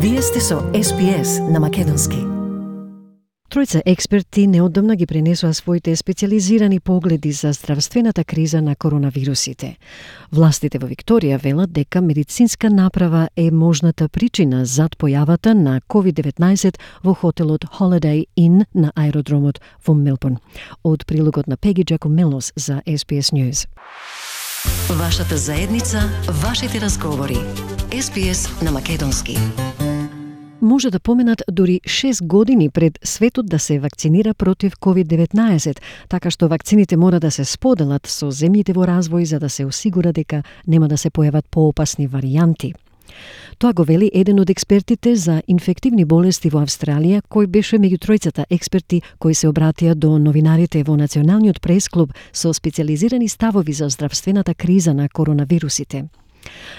Вие сте со SPS на Македонски. Тројца експерти неодамна ги пренесоа своите специализирани погледи за здравствената криза на коронавирусите. Властите во Викторија велат дека медицинска направа е можната причина зад појавата на COVID-19 во хотелот Holiday Inn на аеродромот во Мелбурн. Од прилогот на Пеги Джакомелос за SPS News. Вашата заедница, вашите разговори. SPS на Македонски. Може да поменат дури 6 години пред светот да се вакцинира против COVID-19, така што вакцините мора да се споделат со земјите во развој за да се осигура дека нема да се појават поопасни варијанти. Тоа го вели еден од експертите за инфективни болести во Австралија, кој беше меѓу тројцата експерти кои се обратија до новинарите во Националниот прес-клуб со специализирани ставови за здравствената криза на коронавирусите.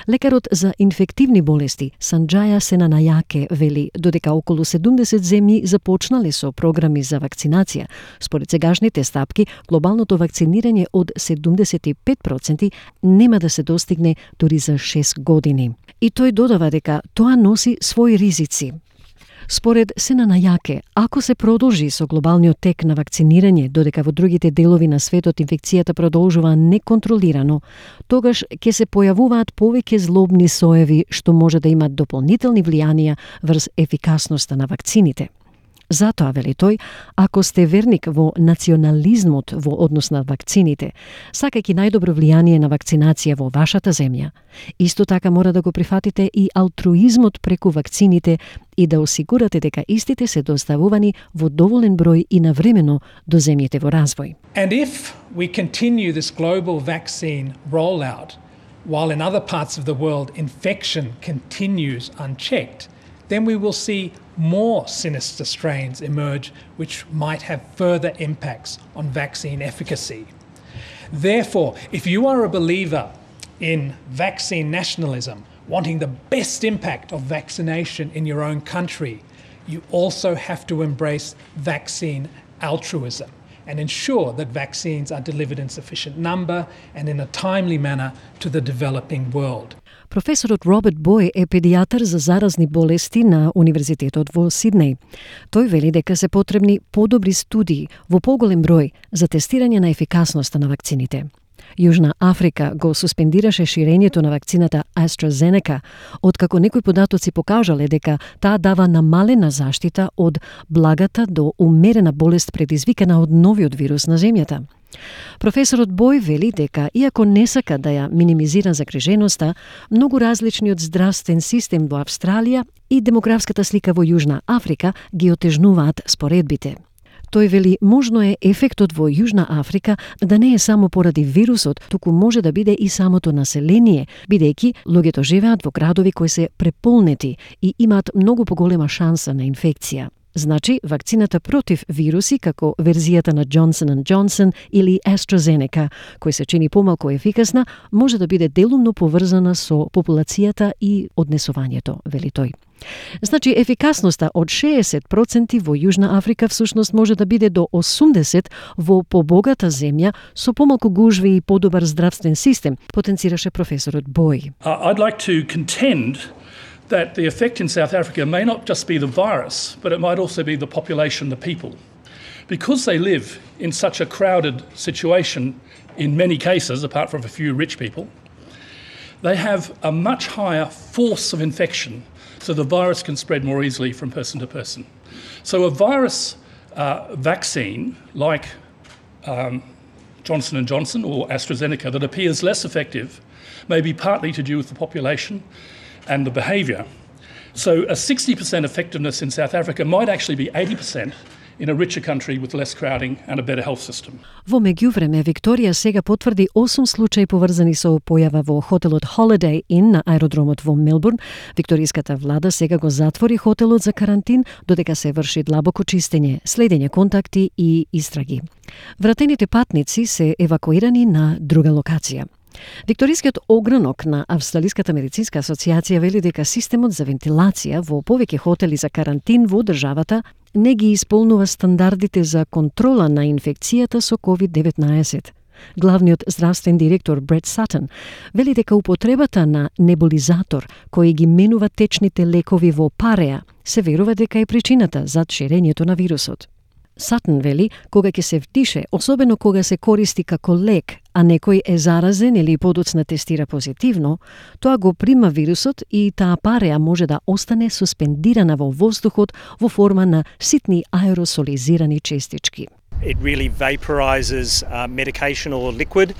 Лекарот за инфективни болести Санџаја Сенанајаке вели додека околу 70 земји започнале со програми за вакцинација, според сегашните стапки глобалното вакцинирање од 75% нема да се достигне дури за 6 години. И тој додава дека тоа носи своји ризици. Според Сенанајаке, ако се продолжи со глобалниот тек на вакцинирање, додека во другите делови на светот инфекцијата продолжува неконтролирано, тогаш ќе се појавуваат повеќе злобни соеви што може да имат дополнителни влијанија врз ефикасноста на вакцините. Затоа, вели тој, ако сте верник во национализмот во однос на вакцините, сакајќи најдобро влијание на вакцинација во вашата земја, исто така мора да го прифатите и алтруизмот преку вакцините и да осигурате дека истите се доставувани во доволен број и навремено до земјите во развој. And if we continue this global vaccine rollout, while in other parts of the world infection continues unchecked, then we will see more sinister strains emerge which might have further impacts on vaccine efficacy. Therefore, if you are a believer in vaccine nationalism, wanting the best impact of vaccination in your own country, you also have to embrace vaccine altruism and ensure that vaccines are delivered in sufficient number and in a timely manner to the developing world. Професорот Роберт Бој е педијатар за заразни болести на Универзитетот во Сиднеј. Тој вели дека се потребни подобри студии во поголем број за тестирање на ефикасноста на вакцините. Јужна Африка го суспендираше ширењето на вакцината AstraZeneca, откако некои податоци покажале дека таа дава намалена заштита од благата до умерена болест предизвикана од новиот вирус на земјата. Професорот Бој вели дека, иако не сака да ја минимизира загриженоста, многу различниот здравствен систем во Австралија и демографската слика во Јужна Африка ги отежнуваат споредбите. Тој вели можно е ефектот во Јужна Африка да не е само поради вирусот, туку може да биде и самото население, бидејќи луѓето живеат во градови кои се преполнети и имаат многу поголема шанса на инфекција. Значи, вакцината против вируси, како верзијата на Johnson & Johnson или AstraZeneca, кој се чини помалку ефикасна, може да биде делумно поврзана со популацијата и однесувањето, вели тој. Значи, ефикасноста од 60% во Јужна Африка всушност може да биде до 80% во побогата земја со помалку гужви и подобар здравствен систем, потенцираше професорот Бој. I'd like to contend that the effect in South Africa may not just be the virus, but it might also be the population, the people. Because they live in such a crowded situation, in many cases, apart from a few rich people, they have a much higher force of infection, so the virus can spread more easily from person to person. So a virus vaccine like Johnson & Johnson or AstraZeneca that appears less effective may be partly to do with the population and the behaviour. So a 60% effectiveness in South Africa might actually be 80% in a richer country with less crowding and a better health system. Во меѓувреме, Викторија сега потврди 8 случаи поврзани со појава во хотелот Holiday Inn на аеродромот во Мелбурн. Викториската влада сега го затвори хотелот за карантин, додека се врши длабоко чистење, следење контакти и истраги. Вратените патници се евакуирани на друга локација. Викторискиот огранок на Австралиската медицинска асоциација вели дека системот за вентилација во повеќе хотели за карантин во државата не ги исполнува стандардите за контрола на инфекцијата со COVID-19. Главниот здравствен директор Брет Сатън вели дека употребата на небулизатор кој ги менува течните лекови во пареа се верува дека е причината за ширењето на вирусот. Сатън вели, кога ќе се вдише, особено кога се користи како лек, а некој е заразен или подоцна тестира позитивно, тоа го прима вирусот и таа пареа може да остане суспендирана во воздухот во форма на ситни аеросолизирани честички. It really vaporizes medication or liquid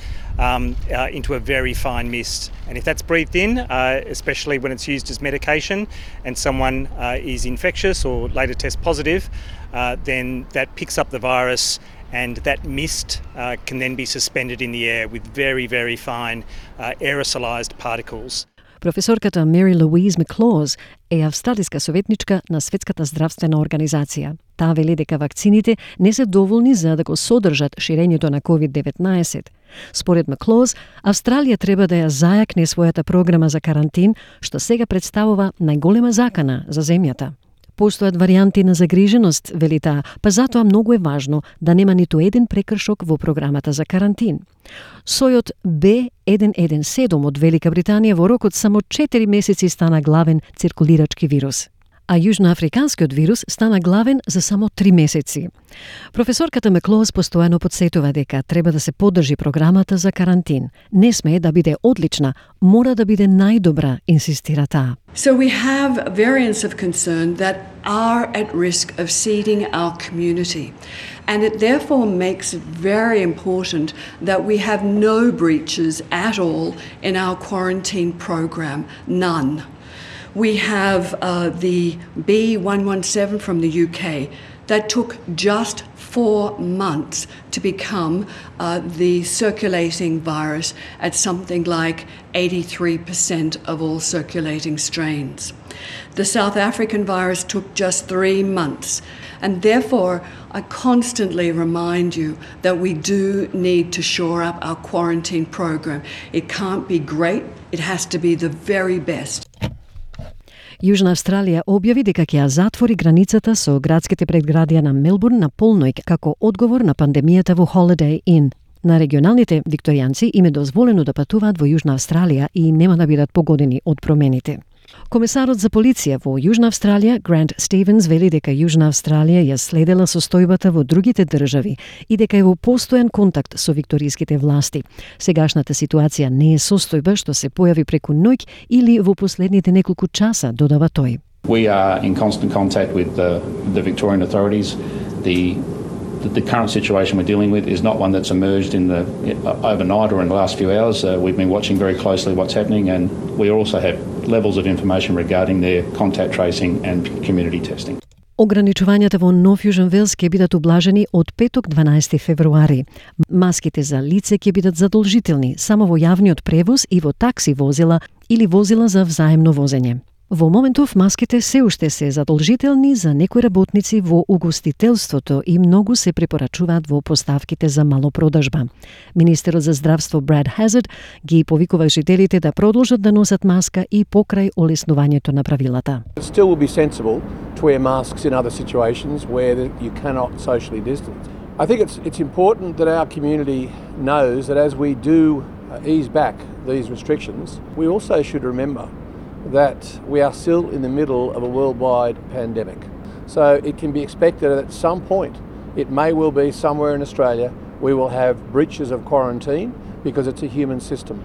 into a very fine mist. And if that's breathed in, especially when it's used as medication and someone is infectious or later tests positive, then that picks up the virus and that mist can then be suspended in the air with very, very fine aerosolized particles. Професорката Мери Луиз Маклоз е австралиска советничка на Светската здравствена организација. Таа вели дека вакцините не се доволни за да го содржат ширењето на COVID-19. Според Маклоз, Австралија треба да ја зајакне својата програма за карантин, што сега представува најголема закана за земјата. Постојат варијанти на загриженост, вели таа, па затоа многу е важно да нема ниту еден прекршок во програмата за карантин. Сојот B117 од Велика Британија во рокот само 4 месеци стана главен циркулирачки вирус, а јужноафриканскиот вирус стана главен за само 3 месеци. Професорката Маклоз постојано подсетува дека треба да се поддржи програмата за карантин. Не смее да биде одлична, мора да биде најдобра, инсистира таа. So we have variants of concern that are at risk of seeding our community. And it therefore makes it very important that we have no breaches at all in our quarantine program, none. We have the B117 from the UK that took just 4 months to become the circulating virus at something like 83% of all circulating strains. The South African virus took just 3 months. And therefore, I constantly remind you that we do need to shore up our quarantine program. It can't be great, it has to be the very best. Јужна Австралија објави дека ќе ја затвори границата со градските предградија на Мелбурн на полноќ како одговор на пандемијата во Holiday Inn. На регионалните викторијанци им е дозволено да патуваат во Јужна Австралија и нема да бидат погодени од промените. Комесарот за полиција во Јужна Австралија, Грант Стивенс, вели дека Јужна Австралија ја следела состојбата во другите држави и дека е во постојан контакт со викториските власти. Сегашната ситуација не е состојба што се појави преку ноќ или во последните неколку часа, додава тој. We are in constant contact with the Victorian authorities. The current situation we're dealing with is not one that's emerged overnight or in the last few hours. We've been watching very closely what's happening, and we also have levels of information regarding their contact tracing and community testing. Ограничувањата во Нов Јужен Велс ќе бидат ублажени од петок 12 февруари. Маските за лице ќе бидат задолжителни само во јавниот превоз и во такси возила или возила за взаемно возење. Во моментов маските се уште се задолжителни за некои работници во угостителството и многу се препорачуваат во поставките за малопродажба. Министерот за здравство Брад Хазард ги повикува жителите да продолжат да носат маска и покрај олеснувањето на правилата. It still will be sensible to wear masks in other situations where you cannot socially distance. I think it's important that our community knows that as we do ease back these restrictions, we also should remember that we are still in the middle of a worldwide pandemic. So it can be expected that at some point, it may well be somewhere in Australia, we will have breaches of quarantine because it's a human system.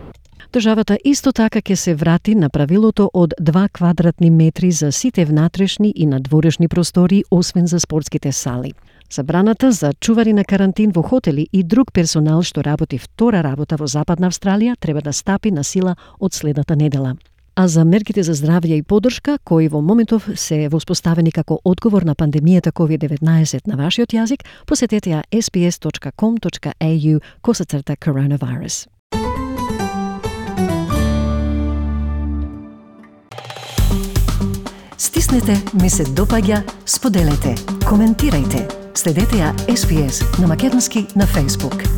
Државата исто така ќе се врати на правилото од 2 квадратни метри за сите внатрешни и надворешни простори, освен за спортските сали. Забраната за чувари на карантин во хотели и друг персонал што работи втора работа во Западна Австралија треба да стапи на сила од следната недела. А за мерките за здравје и поддршка, кои во моментов се воспоставени како одговор на пандемијата COVID-19 на вашиот јазик, посетете ја sbs.com.au/coronavirus. Стиснете, ми се допаѓа, споделете, коментирајте. Следете ја SPS на Македонски на Facebook.